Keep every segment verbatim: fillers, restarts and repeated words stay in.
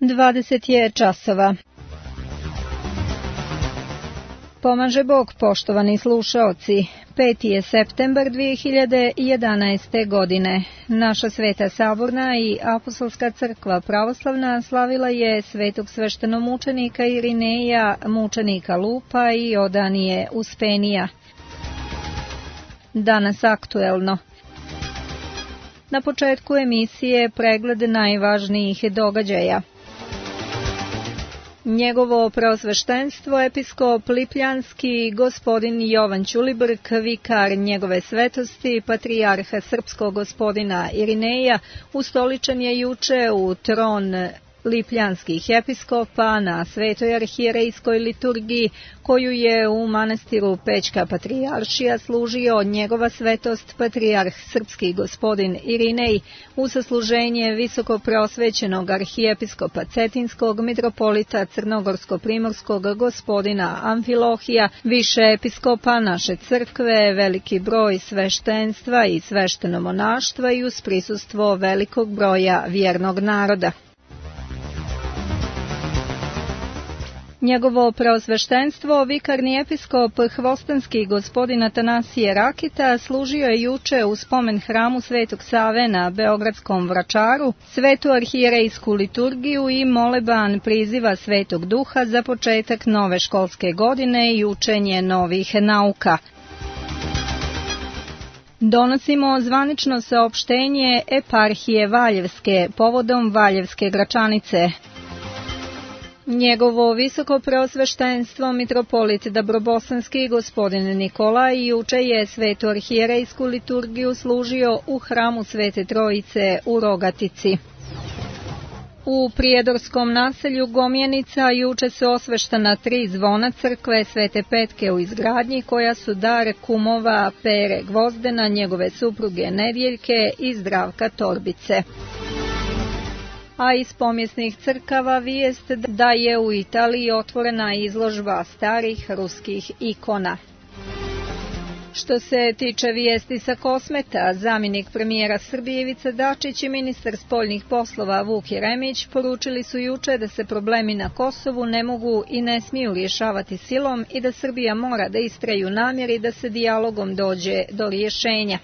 dvadeset je časova. Pomaže Bog, poštovani slušaoci. peti je septembar dvije hiljade jedanaeste. godine. Naša Sveta Saborna i Apostolska crkva pravoslavna slavila je svetog sveštenomučenika Irineja, mučenika Lupa i Odanije Uspenija. Danas aktuelno. Na početku emisije pregled najvažnijih događaja. Njegovo preosveštenstvo, episkop Lipljanski, gospodin Jovan Ćulibrk, vikar njegove svetosti, patrijarha srpskog gospodina Irineja, ustoličen je juče u tron lipljanskih episkopa na Svetoj arhijerejskoj liturgiji, koju je u manastiru Pećka patrijaršija služio njegova svetost patrijarh srpski gospodin Irinej u sasluženje visoko preosvećenog arhijepiskopa Cetinskog, mitropolita crnogorsko-primorskog gospodina Amfilohija, više episkopa naše crkve, veliki broj sveštenstva i sveštenomonaštva i uz prisustvo velikog broja vjernog naroda. Njegovo preosveštenstvo, vikarni episkop Hvostanski gospodin Atanasije Rakita, služio je juče u spomen hramu Svetog Save na Beogradskom Vračaru, svetu arhijerejsku liturgiju i moleban priziva Svetog Duha za početak nove školske godine i učenje novih nauka. Donosimo zvanično saopštenje eparhije Valjevske povodom Valjevske Gračanice. Njegovo visoko preosveštenstvo mitropolit Dabrobosanski gospodin Nikolaj juče je svetu arhijerejsku liturgiju služio u hramu Svete Trojice u Rogatici. U prijedorskom naselju Gomjenica juče su osveštana tri zvona crkve Svete Petke u izgradnji, koja su dar kumova Pere Gvozdena, njegove supruge Nedjeljke i Zdravka Torbice. A iz pomjesnih crkava vijest da je u Italiji otvorena izložba starih ruskih ikona. Što se tiče vijesti sa Kosmeta, zamjenik premijera Srbije Ivica Dačić i ministar spoljnih poslova Vuk Jeremić poručili su juče da se problemi na Kosovu ne mogu i ne smiju rješavati silom i da Srbija mora da istraje u namjeri da se dijalogom dođe do rješenja.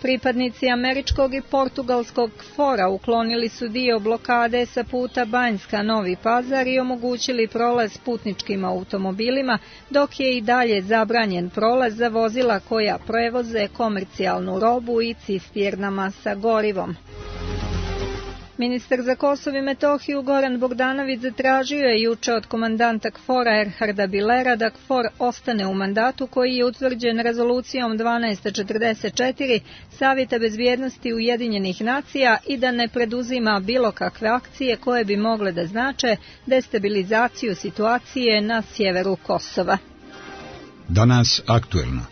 Pripadnici američkog i portugalskog fora uklonili su dio blokade sa puta Banjska-Novi Pazar i omogućili prolaz putničkim automobilima, dok je i dalje zabranjen prolaz za vozila koja prevoze komercijalnu robu i cisternama sa gorivom. Ministar za Kosovo i Metohiju Goran Bogdanović zatražio je juče od komandanta KFOR-a Erharda Bilera da KFOR ostane u mandatu koji je utvrđen rezolucijom dvanaest četrdeset četiri Savjeta bezbjednosti Ujedinjenih nacija i da ne preduzima bilo kakve akcije koje bi mogle da znače destabilizaciju situacije na sjeveru Kosova. Danas aktuelno.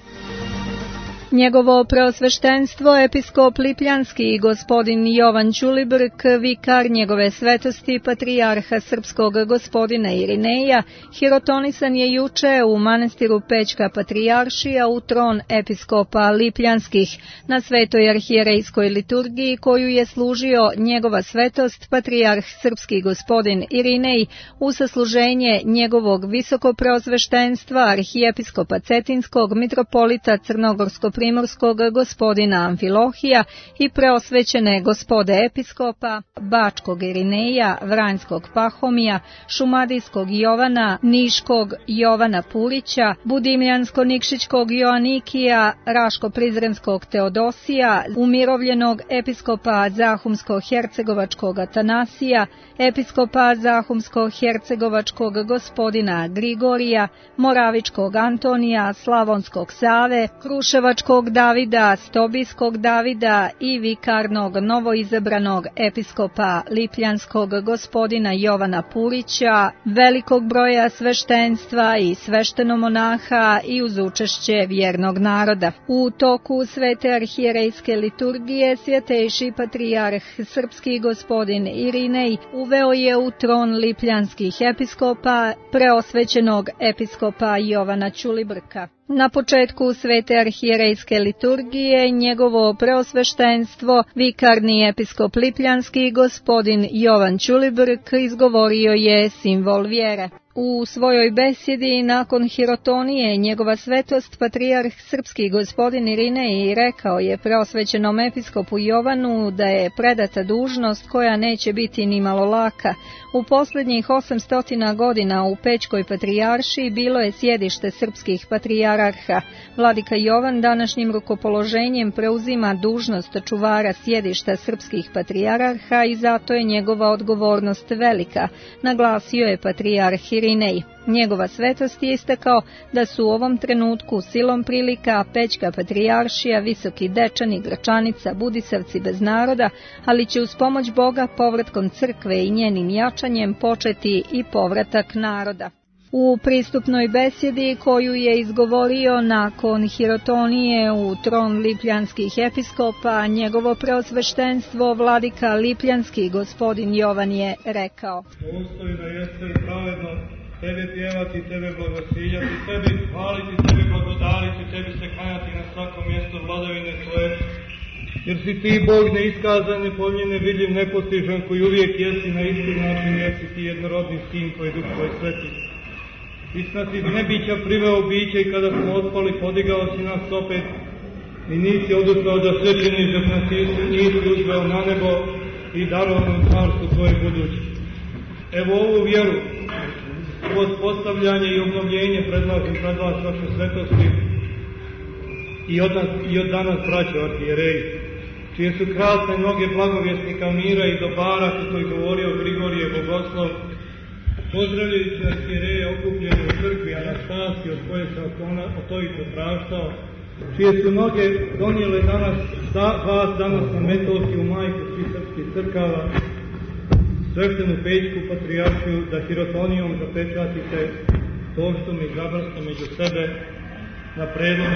Njegovo preosveštenstvo, episkop Lipljanski gospodin Jovan Ćulibrk, vikar njegove svetosti, patrijarha srpskog gospodina Irineja, hirotonisan je juče u manastiru Pećka patrijaršija u tron episkopa Lipljanskih na Svetoj arhijerejskoj liturgiji, koju je služio njegova svetost, patrijarh srpski gospodin Irinej u sasluženje njegovog visoko preosveštenstva, arhijepiskopa Cetinskog, mitropolita crnogorsko primorskog gospodina Amfilohija i preosvećene gospode episkopa Bačkog Irineja, Vranjskog Pahomija, Šumadijskog Jovana, Niškog Jovana Purića, Budimljansko-Nikšićkog Joanikija, Raško-Prizrenskog Teodosija, umirovljenog episkopa Zahumsko-Hercegovačkog Atanasija, episkopa Zahumsko-Hercegovačkog gospodina Grigorija, Moravičkog Antonija, Slavonskog Save, Kruševačkog Davida, Stobijskog Davida i vikarnog novoizabranog episkopa Lipljanskog gospodina Jovana Purića, velikog broja sveštenstva i sveštenomonaha i uz učešće vjernog naroda. U toku Svete arhijerejske liturgije svjetejši patrijarh srpski gospodin Irinej uveo je u tron lipljanskih episkopa preosvećenog episkopa Jovana Ćulibrka. Na početku svete arhijerejske liturgije njegovo preosveštenstvo, vikarni episkop Lipljanski, gospodin Jovan Ćulibrk, izgovorio je simbol vjere. U svojoj besjedi nakon hirotonije njegova svetost patrijarh srpski gospodin Irinej rekao je preosvećenom episkopu Jovanu da je predata dužnost koja neće biti ni malo laka. U posljednjih osamsto godina u Pećkoj patrijaršiji bilo je sjedište srpskih patrijarha. Vladika Jovan današnjim rukopoloženjem preuzima dužnost čuvara sjedišta srpskih patrijarha i zato je njegova odgovornost velika, naglasio je patrijarh Irinej. Njegova svetost je istakao da su u ovom trenutku silom prilika Pećka patrijaršija, Visoki Dečani, Gračanica, Budisavci bez naroda, ali će uz pomoć Boga povratkom crkve i njenim jačanjem početi i povratak naroda. U pristupnoj besjedi koju je izgovorio nakon hirotonije u tron lipljanskih episkopa, njegovo preosveštenstvo vladika Lipljanski gospodin Jovan je rekao: Dostojno jeste i pravedno tebe pjevati, tebe blagosiljati, tebi hvaliti, tebe blagodariti, tebi se klanjati na svakom mjestu vladavine tvoje, jer si ti Bog neiskazan, nepomnjen, nevidljiv, nepostižan, koji uvijek jesi na isti način, jesi ti jednorodni sin koji Duh tvoj sveti. Istina si nebića priveo biće i kada smo otpali, podigao si nas opet i nisi oduprao da sve činiš dok nas nisi uzveo na nebo i darovao nam carstvo tvoje buduće. Evo ovu vjeru, ovo postavljanje i obnovljenje predlažem pred vas, vaše svetosti, i od, nas, i od danas braćo arhijereji, čije su krasne noge blagovjesnika mira i dobara, kako je govorio Grigorije Bogoslov, pozdravljajući arhijereje okupljene u crkvi Anastasije, od koje se otovito praštao, čije su noge donijele danas, vas danas na Metolskiju majku svih srpskih crkava, sveštenu Pećku patrijaršiju, da hirotonijom zapečatite to što mi izabrasno među sebe na predlog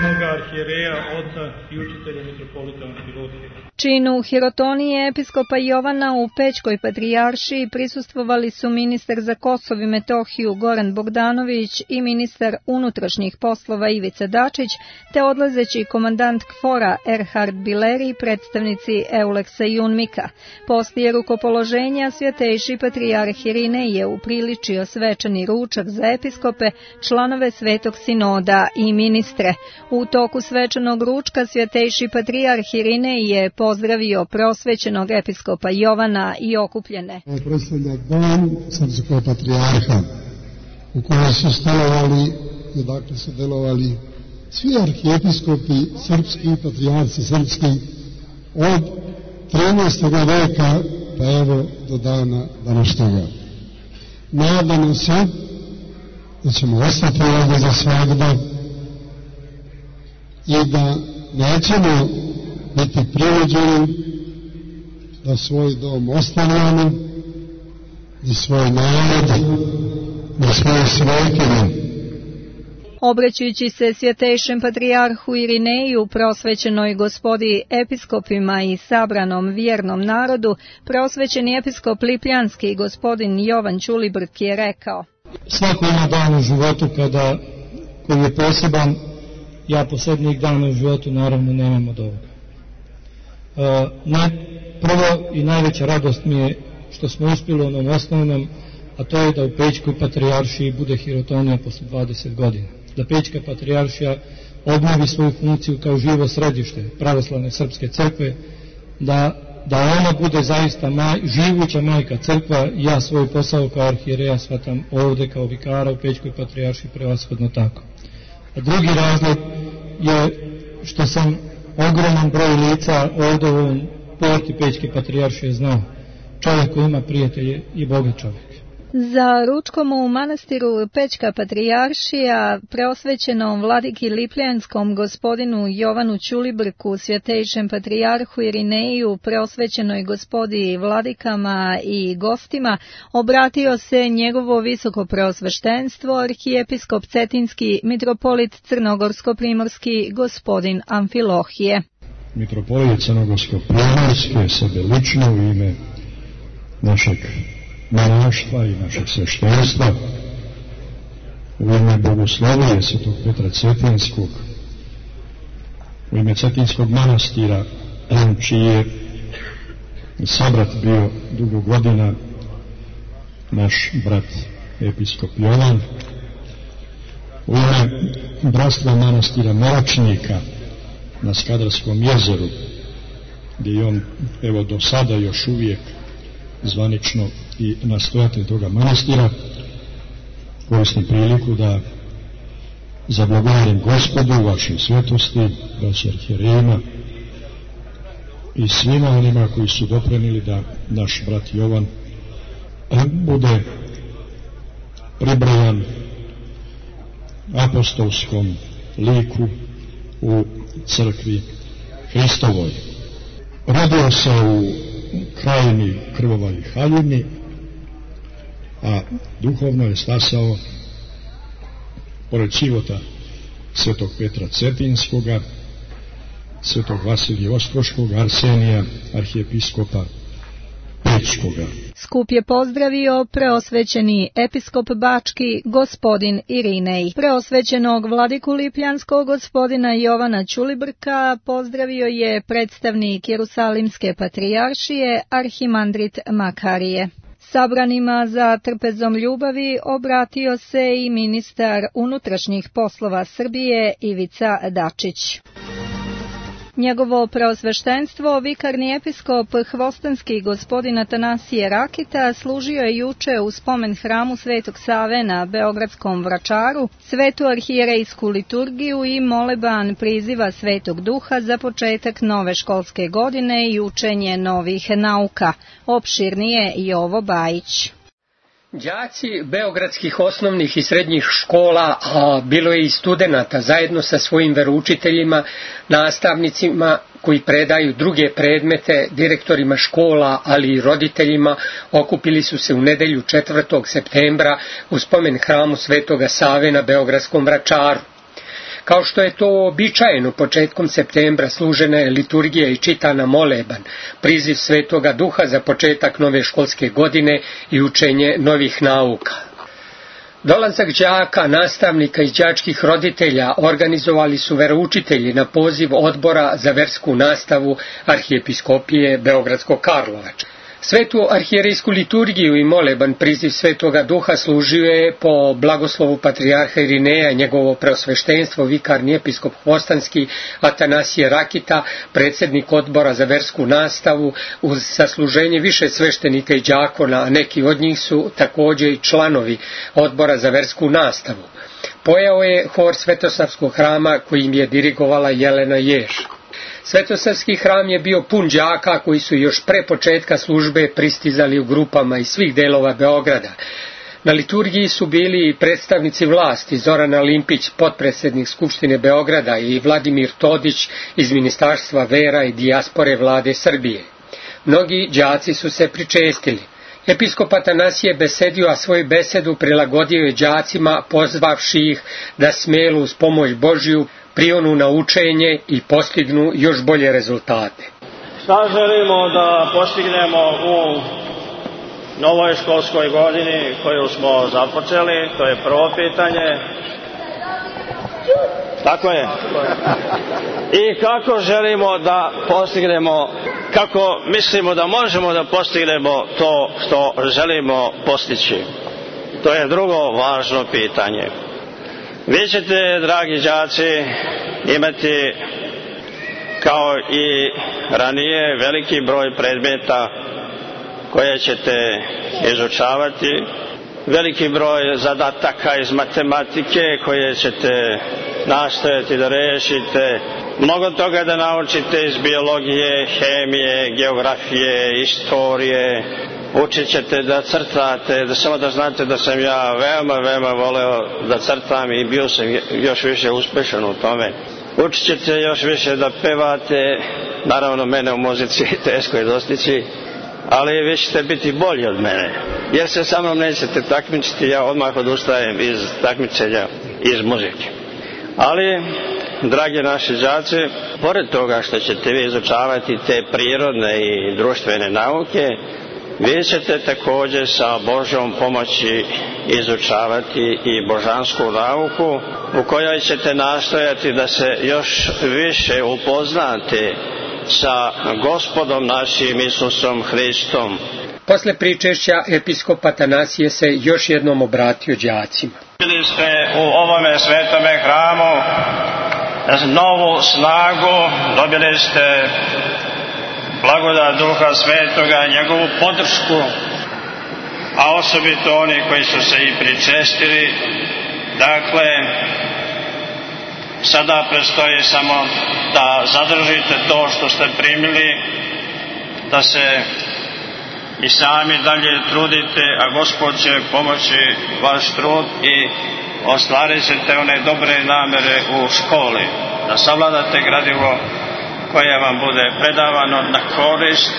mnoga arhijereja, oca i učitelja mitropolita Amfilohija. Činu hirotonije episkopa Jovana u Pećkoj patrijaršiji prisustvovali su ministar za Kosovo i Metohiju Goran Bogdanović i ministar unutrašnjih poslova Ivica Dačić, te odlazeći komandant Kfora Erhard Bileri i predstavnici Euleksa i Unmika. Poslije rukopoloženja svjetejši patrijarh Irinej je upriličio svečani ručak za episkope, članove Svetog sinoda i ministre. U toku svečanog ručka svjetejši patrijarh Irinej je pozdravio prosvećenog episkopa Jovana i okupljene. Ovo predstavlja dom srpskog patrijarha u kojoj su stanovali i dakle su delovali svi arhijepiskopi srpski, patrijarci srpski od trinaestog veka pa evo do dana današnjega. Nadamo se da ćemo ostati ovdje za svagda i da nećemo biti prirođeni da svoj dom ostavljamo i svoj narod i svoje svojtine. Obraćajući se svjetejšem patrijarhu Irineju, prosvećenoj gospodi episkopima i sabranom vjernom narodu, prosvećeni episkop Lipljanski gospodin Jovan Ćulibrk je rekao: Svako ima dan u životu kada, koji je poseban, ja posljednjih dana u životu naravno nemam od ovoga. E, na, prvo i najveća radost mi je što smo uspjeli u onom osnovnom, a to je da u Pećkoj patrijaršiji bude hirotonija posle dvadeset godina. Da Pećka patrijaršija obnovi svoju funkciju kao živo središte pravoslavne srpske crkve, da, da ona bude zaista maj, živuća majka crkva. Ja svoj posao kao arhijereja shvatam ovdje kao vikara u Pećkoj patrijaršiji prevashodno tako. A drugi razlog je što sam ogroman broj lica ovdje u ovom porti Pećke patrijaršije znao. Čovjek koji ima prijatelje i bogat čovjek. Za ručkom u manastiru Pećka patrijaršija, preosvećenom vladiki Lipljanskom gospodinu Jovanu Ćulibrku, svjetejšem patrijarhu Irineju, preosvećenoj gospodi vladikama i gostima, obratio se njegovo visoko preosveštenstvo arhijepiskop Cetinski mitropolit Crnogorsko-primorski gospodin Amfilohije. Mitropolit Crnogorsko-primorski sebe lično u ime našeg monaštva i našeg sveštenstva u ime Bogoslovije Svetog Petra Cetinskog, u ime Cetinskog manastira, čiji je sabrat bio dugo godina naš brat episkop Jovan, u ime bratstva manastira Moročnika na Skadarskom jezeru, gdje je on evo do sada još uvijek zvanično i nastojatelj toga manastira, koristim priliku da zablagovorim Gospodu u vašoj svetosti, braći arhijerejima i svima onima koji su doprinijeli da naš brat Jovan bude pribrajan apostolskom liku u crkvi Hristovoj. Rodio se u krajini Krvova i Haljini, a duhovno je stasao pored života Svetog Petra Cetinskoga, Svetog Vasilija Ostroškog, Arsenija, arhijepiskopa Pečkoga. Skup je pozdravio preosvećeni episkop Bački gospodin Irinej. Preosvećenog vladiku Lipljanskog gospodina Jovana Ćulibrka pozdravio je predstavnik Jerusalimske patrijaršije arhimandrit Makarije. Sabranima za trpezom ljubavi obratio se i ministar unutrašnjih poslova Srbije Ivica Dačić. Njegovo preosveštenstvo, vikarni episkop Hvostanski gospodin Atanasije Rakita, služio je juče u spomen hramu Svetog Save na Beogradskom Vračaru, svetu arhijerejsku liturgiju i moleban priziva Svetog Duha za početak nove školske godine i učenje novih nauka. Opširnije Jovo Bajić. Đaci beogradskih osnovnih i srednjih škola, a bilo je i studenata, zajedno sa svojim veroučiteljima, nastavnicima koji predaju druge predmete, direktorima škola, ali i roditeljima, okupili su se u nedelju četvrtog septembra u spomen hramu Svetoga Save na Beogradskom Vračaru. Kao što je to običajeno, početkom septembra služena je liturgija i čitana moleban, priziv Svetoga Duha za početak nove školske godine i učenje novih nauka. Dolazak đaka, nastavnika i đačkih roditelja organizovali su veroučitelji na poziv Odbora za versku nastavu Arhijepiskopije Beogradsko-Karlovačke. Svetu arhijerejsku liturgiju i moleban priziv Svetoga Duha služio je po blagoslovu patrijarha Irineja njegovo preosveštenstvo vikarni episkop Hvostanski Atanasije Rakita, predsjednik Odbora za versku nastavu, uz sasluženje više sveštenika i đakona, a neki od njih su također i članovi Odbora za versku nastavu. Pojeo je hor Svetosavskog hrama kojim je dirigovala Jelena Jež. Svetosavski hram je bio pun đaka koji su još pre početka službe pristizali u grupama iz svih delova Beograda. Na liturgiji su bili i predstavnici vlasti, Zoran Alimpić, potpredsjednik Skupštine Beograda, i Vladimir Todić iz Ministarstva vera i dijaspore vlade Srbije. Mnogi đaci su se pričestili. Episkop Atanasije besedio, a svoju besedu prilagodio je đacima, pozvavši ih da smelu uz pomoć Božju prionu na učenje i postignu još bolje rezultate. Šta želimo da postignemo u novoj školskoj godini koju smo započeli? To je prvo pitanje. Tako je. I kako želimo da postignemo, kako mislimo da možemo da postignemo to što želimo postići? To je drugo važno pitanje. Vi ćete, dragi đaci, imati kao i ranije veliki broj predmeta koje ćete izučavati, veliki broj zadataka iz matematike koje ćete nastojati da rešite, mnogo toga da naučite iz biologije, hemije, geografije, istorije. Učit ćete da crtate, da samo da znate da sam ja veoma, veoma voleo da crtam i bio sam još više uspešan u tome. Učit ćete još više da pevate, naravno mene u muzici teško je dostići, ali vi ćete biti bolji od mene, jer se sa mnom nećete takmičiti, ja odmah odustajem iz takmičenja, iz muzike. Ali, dragi naši đaci, pored toga što ćete vi izučavati te prirodne i društvene nauke, Vi ćete također sa Božjom pomoći izučavati i božansku nauku u kojoj ćete nastojati da se još više upoznate sa Gospodom našim Isusom Hristom. Posle pričešća episkop Atanasije se još jednom obratio đacima. Bili ste u ovome svetome hramu novu snagu, dobili ste blagodat Duha Svetoga, njegovu podršku, a osobito oni koji su se i pričestili. Dakle, sada predstoji samo da zadržite to što ste primili, da se i sami dalje trudite, a Gospod će pomoći vaš trud i ostvarit ćete one dobre namere u školi, da savladate gradivo koje vam bude predavano na korist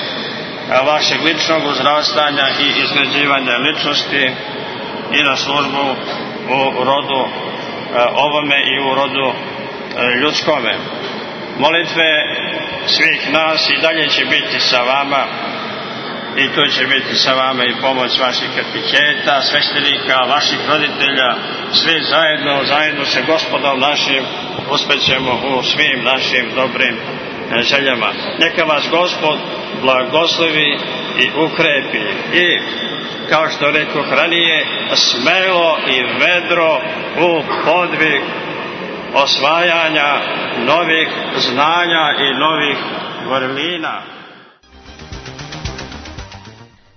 vašeg ličnog uzrastanja i izgrađivanja ličnosti i na službu u rodu ovome i u rodu ljudskome. Molitve svih nas i dalje će biti sa vama, i tu će biti sa vama i pomoć vaših kateheta, sveštenika, vaših roditelja, svi zajedno, zajedno sa Gospodom našim uspećemo u svim našim dobrim željama. Neka vas Gospod blagoslovi i ukrepi i, kao što rekoh ranije, smelo i vedro u podvig osvajanja novih znanja i novih vrlina.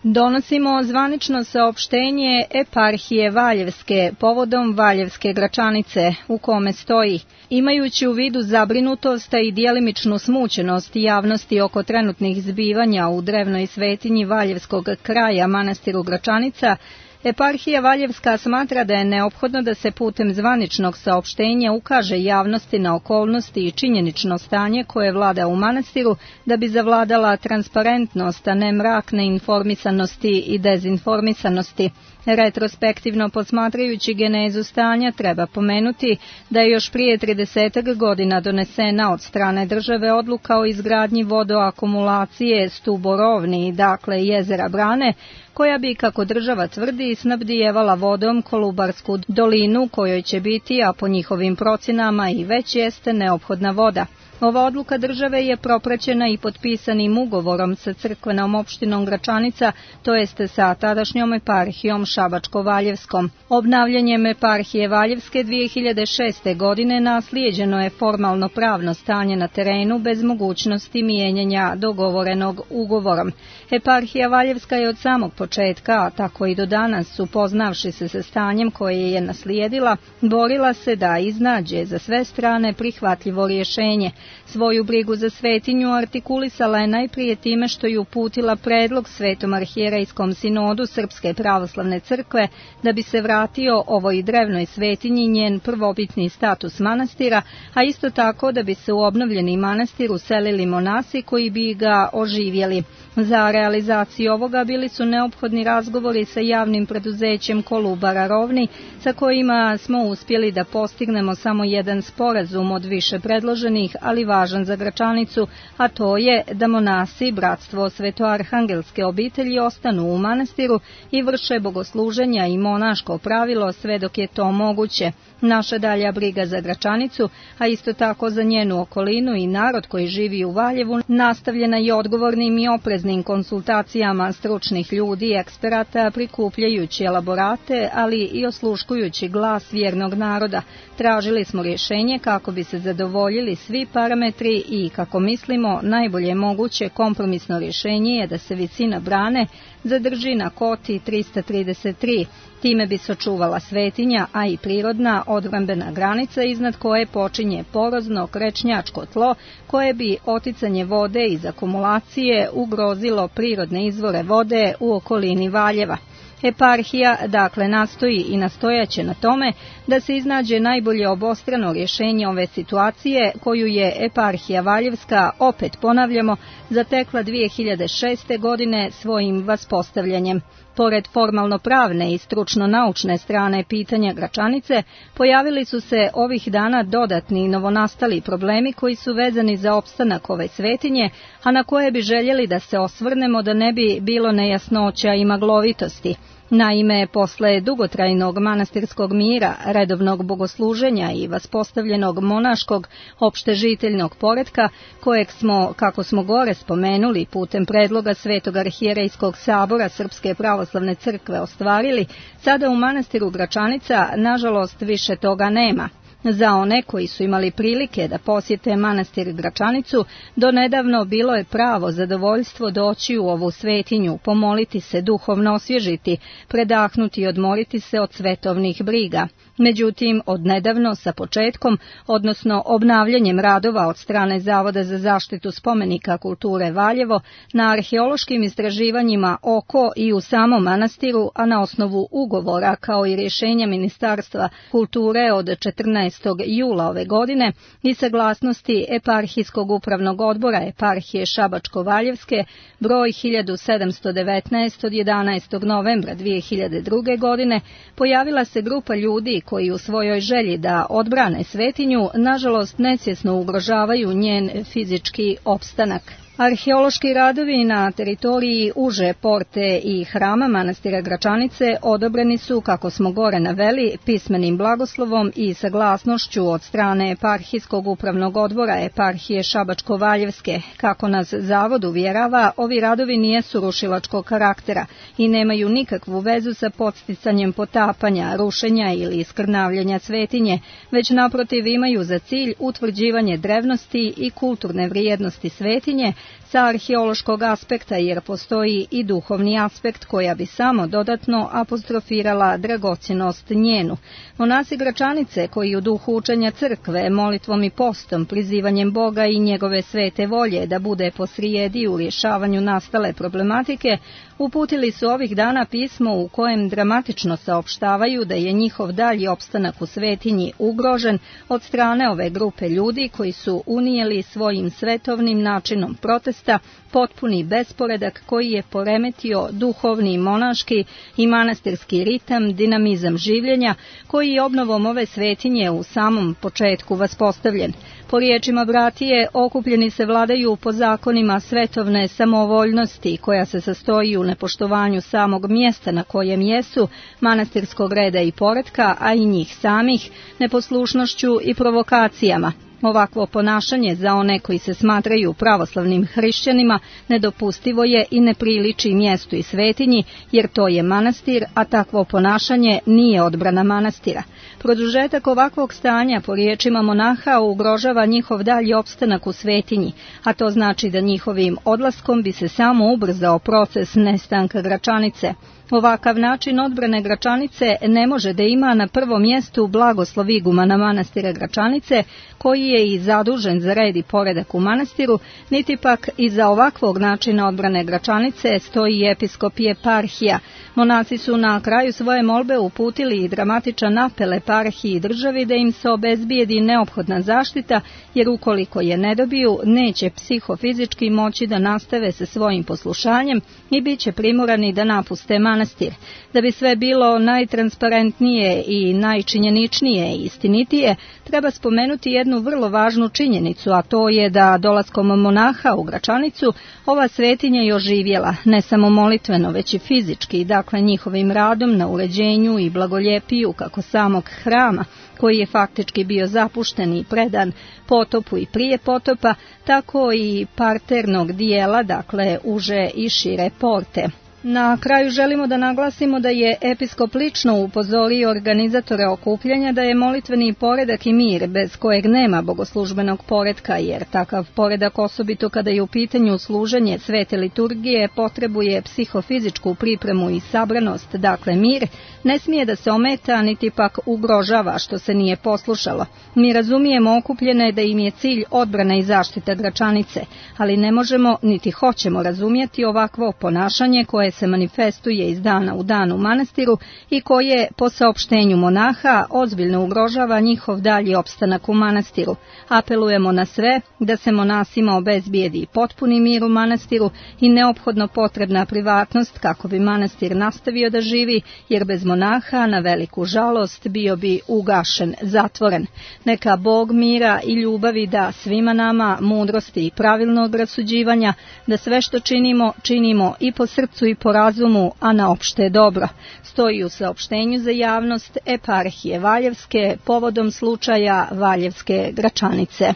Donosimo zvanično saopštenje Eparhije Valjevske povodom Valjevske Gračanice, u kome stoji: imajući u vidu zabrinutost i djelimičnu smućenost javnosti oko trenutnih zbivanja u drevnoj svetinji Valjevskog kraja manastiru Gračanica, Eparhija Valjevska smatra da je neophodno da se putem zvaničnog saopštenja ukaže javnosti na okolnosti i činjenično stanje koje vlada u manastiru, da bi zavladala transparentnost, a ne mrak neinformisanosti i dezinformisanosti. Retrospektivno posmatrajući genezu stanja, treba pomenuti da je još prije tridesetak godina donesena od strane države odluka o izgradnji vodoakumulacije Stuborovni, dakle jezera Brane, koja bi, kako država tvrdi, snabdijevala vodom Kolubarsku dolinu, kojoj će biti, a po njihovim procjenama i već jeste, neophodna voda. Ova odluka države je propraćena i potpisanim ugovorom sa crkvenom opštinom Gračanica, to jeste sa tadašnjom eparhijom Šabačko-Valjevskom. Obnavljanjem eparhije Valjevske dvije hiljade šeste. godine naslijeđeno je formalno pravno stanje na terenu bez mogućnosti mijenjanja dogovorenog ugovorom. Eparhija Valjevska je od samog početka, a tako i do danas, upoznavši se sa stanjem koje je naslijedila, borila se da iznađe za sve strane prihvatljivo rješenje. Svoju brigu za svetinju artikulisala je najprije time što je uputila predlog Svetom arhijerejskom sinodu Srpske pravoslavne crkve da bi se vratio ovoj drevnoj svetinji njen prvobitni status manastira, a isto tako da bi se u obnovljeni manastir uselili monasi koji bi ga oživjeli. Za realizaciju ovoga bili su neophodni razgovori sa javnim preduzećem Kolubara Rovni, sa kojima smo uspjeli da postignemo samo jedan sporazum od više predloženih, ali važan za Gračanicu, a to je da monasi Bratstvo Svetoarhangelske obitelji ostanu u manastiru i vrše bogosluženja i monaško pravilo sve dok je to moguće. Naša dalja briga za Gračanicu, a isto tako za njenu okolinu i narod koji živi u Valjevu, nastavljena je odgovornim i opreznim konsultacijama stručnih ljudi i eksperata, prikupljajući elaborate, ali i osluškujući glas vjernog naroda. Tražili smo rješenje kako bi se zadovoljili svi parametri i, kako mislimo, najbolje moguće kompromisno rješenje je da se visina brane zadrži na koti trista trideset tri. Time bi se očuvala svetinja, a i prirodna odbrambena granica iznad koje počinje porozno krečnjačko tlo, koje bi oticanje vode iz akumulacije ugrozilo prirodne izvore vode u okolini Valjeva. Eparhija dakle nastoji i nastojaće na tome da se iznađe najbolje obostrano rješenje ove situacije koju je Eparhija Valjevska, opet ponavljamo, zatekla dvije hiljade šeste. godine svojim vaspostavljanjem. Pored formalno-pravne i stručno-naučne strane pitanja Gračanice, pojavili su se ovih dana dodatni i novonastali problemi koji su vezani za opstanak ove svetinje, a na koje bi željeli da se osvrnemo da ne bi bilo nejasnoća i maglovitosti. Naime, posle dugotrajnog manastirskog mira, redovnog bogosluženja i vaspostavljenog monaškog opštežiteljnog poretka, kojeg smo, kako smo gore spomenuli, putem predloga Svetog arhijerejskog sabora Srpske pravoslavne crkve ostvarili, sada u manastiru Gračanica, nažalost, više toga nema. Za one koji su imali prilike da posjete manastir Gračanicu, donedavno bilo je pravo zadovoljstvo doći u ovu svetinju, pomoliti se, duhovno osvježiti, predahnuti i odmoriti se od svetovnih briga. Međutim, odnedavno sa početkom, odnosno obnavljanjem radova od strane Zavoda za zaštitu spomenika kulture Valjevo, na arheološkim istraživanjima oko i u samom manastiru, a na osnovu ugovora kao i rješenja Ministarstva kulture od četrnaestog jula ove godine i saglasnosti Eparhijskog upravnog odbora Eparhije Šabačko-Valjevske broj hiljadu sedamsto devetnaest od jedanaestog novembra dvije hiljade druge. godine, pojavila se grupa ljudi koji u svojoj želji da odbrane svetinju, nažalost nesvjesno ugrožavaju njen fizički opstanak. Arheološki radovi na teritoriji uže porte i hrama manastira Gračanice odobreni su, kako smo gore naveli, pismenim blagoslovom i saglasnošću od strane Eparhijskog upravnog odbora Eparhije Šabačko-Valjevske. Kako nas zavod uvjerava, ovi radovi nijesu rušilačkog karaktera i nemaju nikakvu vezu sa podsticanjem potapanja, rušenja ili iskrnavljanja svetinje, već naprotiv imaju za cilj utvrđivanje drevnosti i kulturne vrijednosti svetinje, sa arheološkog aspekta, jer postoji i duhovni aspekt koja bi samo dodatno apostrofirala dragocjenost njenu. Monasi Gračanice, koji u duhu učenja crkve, molitvom i postom, prizivanjem Boga i njegove svete volje da bude posrijedi u rješavanju nastale problematike, uputili su ovih dana pismo u kojem dramatično saopštavaju da je njihov dalji opstanak u svetinji ugrožen od strane ove grupe ljudi koji su unijeli svojim svetovnim načinom protesta potpuni besporedak koji je poremetio duhovni, monaški i manastirski ritam, dinamizam življenja, koji je obnovom ove svetinje u samom početku vaspostavljen. Po riječima bratije, okupljeni se vladaju po zakonima svetovne samovoljnosti, koja se sastoji u nepoštovanju samog mjesta na kojem jesu, manastirskog reda i poretka, a i njih samih, neposlušnošću i provokacijama. Ovakvo ponašanje za one koji se smatraju pravoslavnim hrišćanima nedopustivo je i ne priliči mjestu i svetinji, jer to je manastir, a takvo ponašanje nije odbrana manastira. Produžetak ovakvog stanja, po riječima monaha, ugrožava njihov dalji opstanak u svetinji, a to znači da njihovim odlaskom bi se samo ubrzao proces nestanka Gračanice. Ovakav način odbrane Gračanice ne može da ima na prvom mjestu blagoslov igumana manastira Gračanice, koji je i zadužen za red i poredak u manastiru, niti pak iza ovakvog načina odbrane Gračanice stoji episkop i eparhija. Monaci su na kraju svoje molbe uputili i dramatičan apel eparhiji i državi da im se obezbijedi neophodna zaštita, jer ukoliko je ne dobiju, neće psihofizički moći da nastave sa svojim poslušanjem i bit će primorani da napuste manastir. Da bi sve bilo najtransparentnije i najčinjeničnije i istinitije, treba spomenuti jednu vrlo važnu činjenicu, a to je da dolaskom monaha u Gračanicu ova svetinja je oživjela, ne samo molitveno, već i fizički, dakle njihovim radom na uređenju i blagoljepiju kako samog hrama, koji je faktički bio zapušten i predan potopu i prije potopa, tako i parternog dijela, dakle uže i šire porte. Na kraju želimo da naglasimo da je episkop lično upozorio organizatore okupljanja da je molitveni poredak i mir bez kojeg nema bogoslužbenog poretka, jer takav poredak, osobito kada je u pitanju služenje svete liturgije, potrebuje psihofizičku pripremu i sabranost, dakle mir, ne smije da se ometa niti pak ugrožava što se nije poslušalo. Mi razumijemo okupljene da im je cilj odbrana i zaštita Gračanice, ali ne možemo niti hoćemo razumjeti ovakvo ponašanje koje koje se manifestuje iz dana u dan u manastiru i koje, po saopštenju monaha, ozbiljno ugrožava njihov dalji opstanak u manastiru. Apelujemo na sve da se monasima obezbijedi potpuni mir u manastiru i neophodno potrebna privatnost kako bi manastir nastavio da živi, jer bez monaha, na veliku žalost, bio bi ugašen, zatvoren. Neka Bog mira i ljubavi da svima nama, mudrosti i pravilnog rasuđivanja, da sve što činimo, činimo i po srcu i po razumu, a na opšte dobro. Stoji u saopštenju za javnost eparhije Valjevske povodom slučaja Valjevske Gračanice.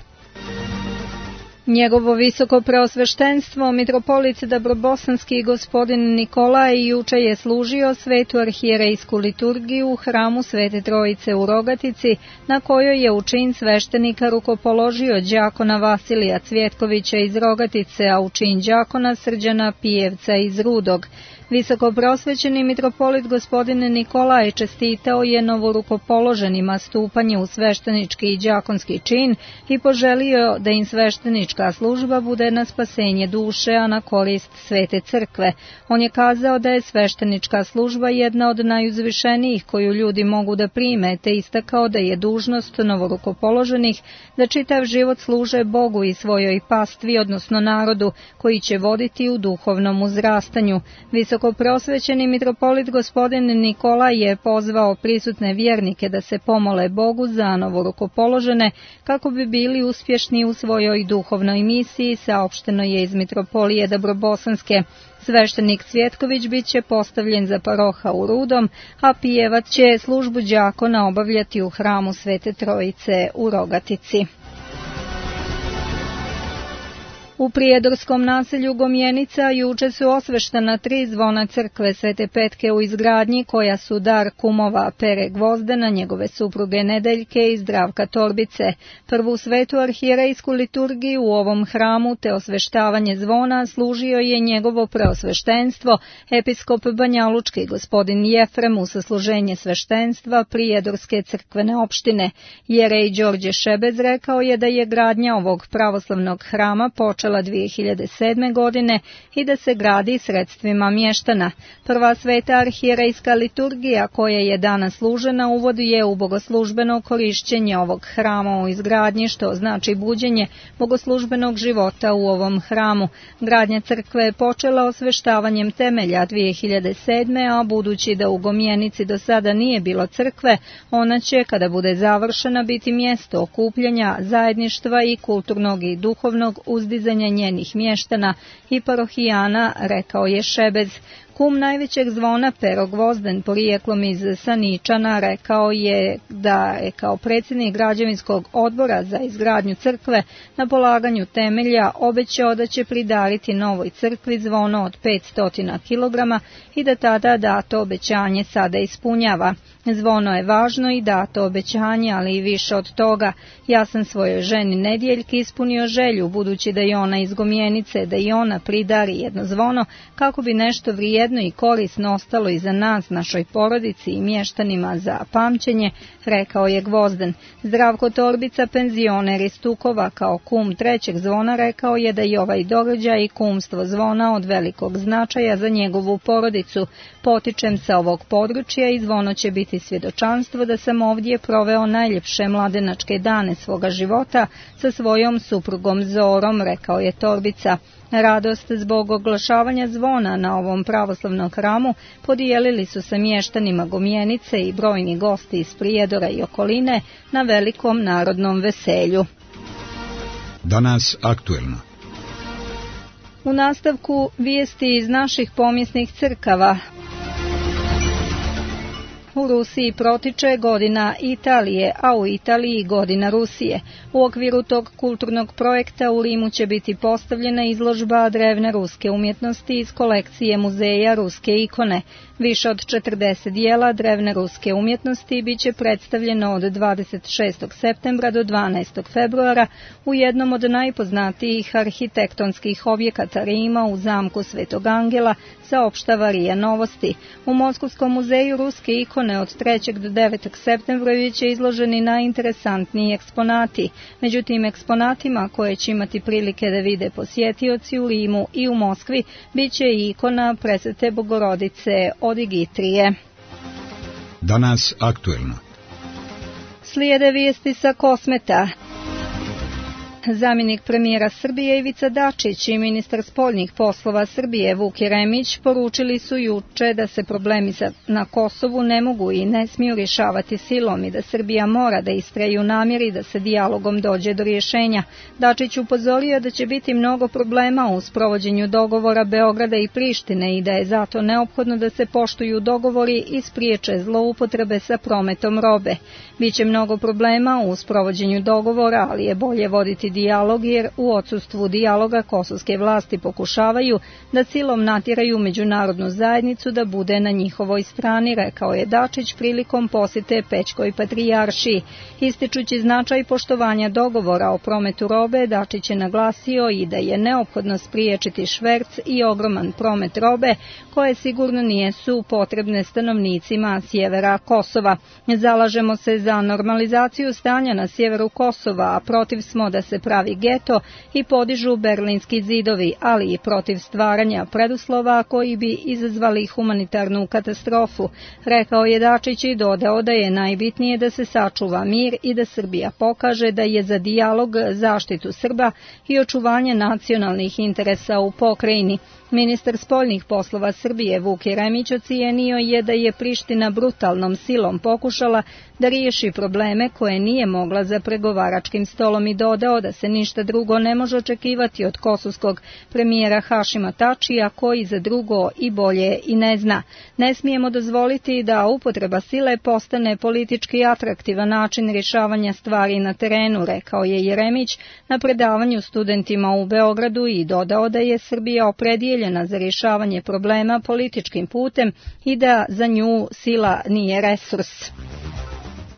Njegovo visoko preosveštenstvo, mitropolit Dabrobosanski gospodin Nikolaj, juče je služio svetu arhijerejsku liturgiju u hramu Svete Trojice u Rogatici, na kojoj je u čin sveštenika rukopoložio đakona Vasilija Cvjetkovića iz Rogatice, a u čin đakona Srđana Pijevca iz Rudog. Visoko prosvećeni mitropolit gospodin Nikolaj čestitao je novorukopoloženima stupanje u sveštenički i đakonski čin i poželio da im sveštenička služba bude na spasenje duše, a na korist Svete crkve. On je kazao da je sveštenička služba jedna od najuzvišenijih koju ljudi mogu da prime, te istakao da je dužnost novorukopoloženih da čitav život služe Bogu i svojoj pastvi, odnosno narodu, koji će voditi u duhovnom uzrastanju. Visoko prosvećeni mitropolit gospodin Nikolaj je pozvao prisutne vjernike da se pomole Bogu za novorukopoložene kako bi bili uspješni u svojoj duhovnoj misiji, saopšteno je iz mitropolije Dabrobosanske. Sveštenik Cvjetković bit će postavljen za paroha u Rudom, a Pijevac će službu đakona obavljati u hramu Svete Trojice u Rogatici. U prijedorskom naselju Gomjenica juče su osveštena tri zvona crkve Svete Petke u izgradnji, koja su dar kumova Pere Gvozdena, njegove supruge Nedeljke i Zdravka Torbice. Prvu svetu arhijerejsku liturgiju u ovom hramu te osveštavanje zvona služio je njegovo preosveštenstvo, episkop Banjalučki gospodin Jefrem u sasluženje sveštenstva Prijedorske crkvene opštine. Jerej Đorđe Šebez rekao je da je gradnja ovog pravoslavnog hrama počela dvije hiljade sedme. godine i da se gradi sredstvima mještana. Prva sveta arhijerejska liturgija koja je danas služena uvod je u bogoslužbeno korišćenje ovog hrama u izgradnji, što znači buđenje bogoslužbenog života u ovom hramu. Gradnja crkve je počela osveštavanjem temelja dvije hiljade sedme. a budući da u Gomjenici do sada nije bilo crkve, ona će, kada bude završena, biti mjesto okupljanja, zajedništva i kulturnog i duhovnog uzdizanja njenih mještana i parohijana, rekao je Šebez. Kum najvećeg zvona Pero Gvozden, porijeklom iz Saničana, rekao je da je kao predsjednik građevinskog odbora za izgradnju crkve na polaganju temelja obećao da će pridariti novoj crkvi zvono od petsto kilograma i da tada dato obećanje sada ispunjava. Zvono je važno i dato obećanje, ali i više od toga. Ja sam svojoj ženi Nedjeljki ispunio želju, budući da je ona iz Gomjenice, da i ona pridari jedno zvono, kako bi nešto vrijedno i korisno ostalo i za nas, našoj porodici i mještanima za pamćenje, rekao je Gvozden. Zdravko Torbica, penzioner iz Tukova, kao kum trećeg zvona, rekao je da je ovaj događaj i kumstvo zvona od velikog značaja za njegovu porodicu. Potičem sa ovog područja i zvono će biti svjedočanstvo da sam ovdje proveo najljepše mladenačke dane svoga života sa svojom suprugom Zorom, rekao je Torbica. Radost zbog oglašavanja zvona na ovom pravoslavnom hramu podijelili su sa mještanima Gomjenice i brojni gosti iz Prijedora i okoline na velikom narodnom veselju. Danas aktuelno. U nastavku vijesti iz naših pomjesnih crkava. U Rusiji protiče godina Italije, a u Italiji godina Rusije. U okviru tog kulturnog projekta u Rimu će biti postavljena izložba drevne ruske umjetnosti iz kolekcije muzeja ruske ikone. Više od četrdeset dijela drevne ruske umjetnosti bit će predstavljeno od dvadeset šestog septembra do dvanaestog februara u jednom od najpoznatijih arhitektonskih objekata Rima u zamku Svetog Angela, saopštava R I A Novosti. U Moskovskom muzeju ruske ikone pogone od trećeg do devetog septembra biće izloženi najinteresantniji eksponati. Među tim eksponatima koje će imati prilike da vide posjetioci u Rimu i u Moskvi biće i ikona Presvete Bogorodice od Igitrije. Danas aktuelno. Slijede vijesti sa Kosmeta. Zamjenik premijera Srbije Ivica Dačić i ministar spoljnih poslova Srbije Vuk Jeremić poručili su juče da se problemi na Kosovu ne mogu i ne smiju rješavati silom i da Srbija mora da istraje u namjeri da se dijalogom dođe do rješenja. Dačić upozorio da će biti mnogo problema u sprovođenju dogovora Beograda i Prištine i da je zato neophodno da se poštuju dogovori i spriječe zloupotrebe sa prometom robe. Biće mnogo problema u sprovođenju dogovora, ali je bolje voditi dijalog jer u odsustvu dijaloga kosovske vlasti pokušavaju da silom natjeraju međunarodnu zajednicu da bude na njihovoj strani, rekao je Dačić prilikom posjete Pećkoj patrijaršiji. Ističući značaj poštovanja dogovora o prometu robe, Dačić je naglasio i da je neophodno spriječiti šverc i ogroman promet robe koje sigurno nijesu potrebne stanovnicima sjevera Kosova. Zalažemo se za normalizaciju stanja na sjeveru Kosova, a protiv smo da se pravi geto i podižu berlinski zidovi, ali i protiv stvaranja preduslova koji bi izazvali humanitarnu katastrofu, rekao je Dačić i dodao da je najbitnije da se sačuva mir i da Srbija pokaže da je za dijalog, zaštitu Srba i očuvanje nacionalnih interesa u pokrajini. Ministar spoljnih poslova Srbije Vuk Jeremić ocijenio je da je Priština brutalnom silom pokušala da riješi probleme koje nije mogla za pregovaračkim stolom i dodao da se ništa drugo ne može očekivati od kosovskog premijera Hašima Tačija koji za drugo i bolje i ne zna. Ne smijemo dozvoliti da upotreba sile postane politički atraktivan način rješavanja stvari na terenu, rekao je Jeremić na predavanju studentima u Beogradu i dodao da je Srbija opredijeljena za rješavanje problema političkim putem i da za nju sila nije resurs.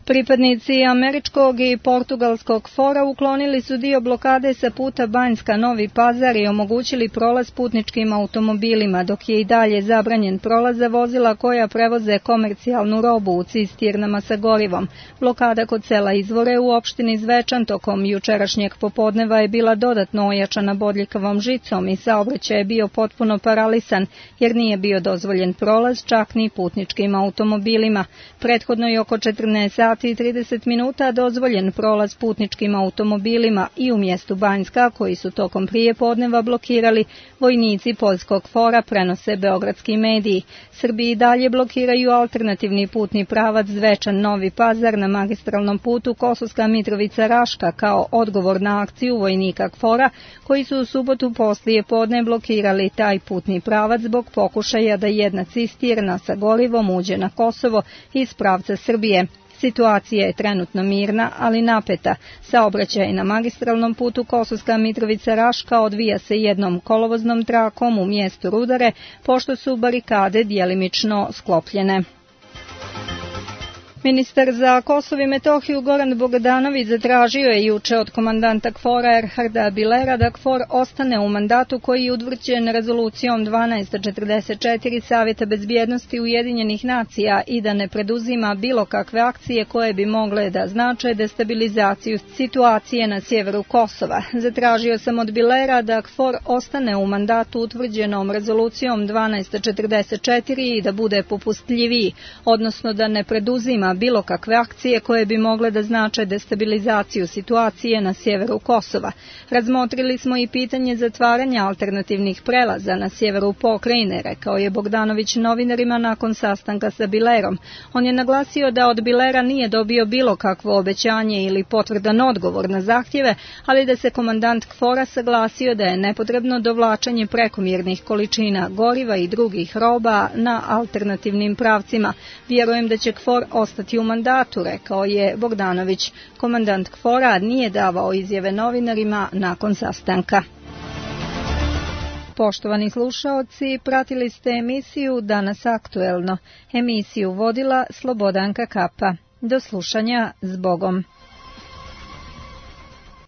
Pripadnici američkog i portugalskog fora uklonili su dio blokade sa puta Banjska-Novi Pazar i omogućili prolaz putničkim automobilima, dok je i dalje zabranjen prolaz za vozila koja prevoze komercijalnu robu u cisternama sa gorivom. Blokada kod sela Izvore u opštini Zvečan tokom jučerašnjeg popodneva je bila dodatno ojačana bodljikavom žicom i saobraćaj je bio potpuno paralisan jer nije bio dozvoljen prolaz čak ni putničkim automobilima. Prethodno je oko četrnaest sati i trideset minuta dozvoljen prolaz putničkim automobilima i u mjestu Banjska, koji su tokom prijepodneva blokirali vojnici poljskog fora, prenose beogradski mediji. Srbiji dalje blokiraju alternativni putni pravac Zvečan-Novi Pazar na magistralnom putu Kosovska Mitrovica-Raška kao odgovor na akciju vojnika KFOR-a koji su u subotu poslije podne blokirali taj putni pravac zbog pokušaja da jedna cisterna sa gorivom uđe na Kosovo iz pravca Srbije. Situacija je trenutno mirna, ali napeta. Saobraćaj na magistralnom putu Kosovska Mitrovica-Raška odvija se jednom kolovoznom trakom u mjestu Rudare, pošto su barikade djelimično sklopljene. Ministar za Kosovo i Metohiju Goran Bogdanović zatražio je juče od komandanta KFOR-a Erharda Bilera da KFOR ostane u mandatu koji je utvrđen rezolucijom dvanaest četrdeset četiri Savjeta bezbjednosti Ujedinjenih nacija i da ne preduzima bilo kakve akcije koje bi mogle da znače destabilizaciju situacije na sjeveru Kosova. Zatražio sam od Bilera da KFOR ostane u mandatu utvrđenom rezolucijom dvanaest četrdeset četiri i da bude popustljiviji, odnosno da ne preduzima bilo kakve akcije koje bi mogle da znače destabilizaciju situacije na sjeveru Kosova. Razmotrili smo i pitanje zatvaranja alternativnih prelaza na sjeveru pokrajine, rekao je Bogdanović novinarima nakon sastanka sa Bilerom. On je naglasio da od Bilera nije dobio bilo kakvo obećanje ili potvrdan odgovor na zahtjeve, ali da se komandant KFOR-a saglasio da je nepotrebno dovlačenje prekomjernih količina goriva i drugih roba na alternativnim pravcima. Vjerujem da će KFOR ostati u mandatu, rekao je Bogdanović. Komandant KFOR-a nije davao izjave novinarima nakon sastanka. Poštovani slušaoci, pratili ste emisiju Danas aktuelno. Emisiju vodila Slobodanka Kapa. Do slušanja, s Bogom.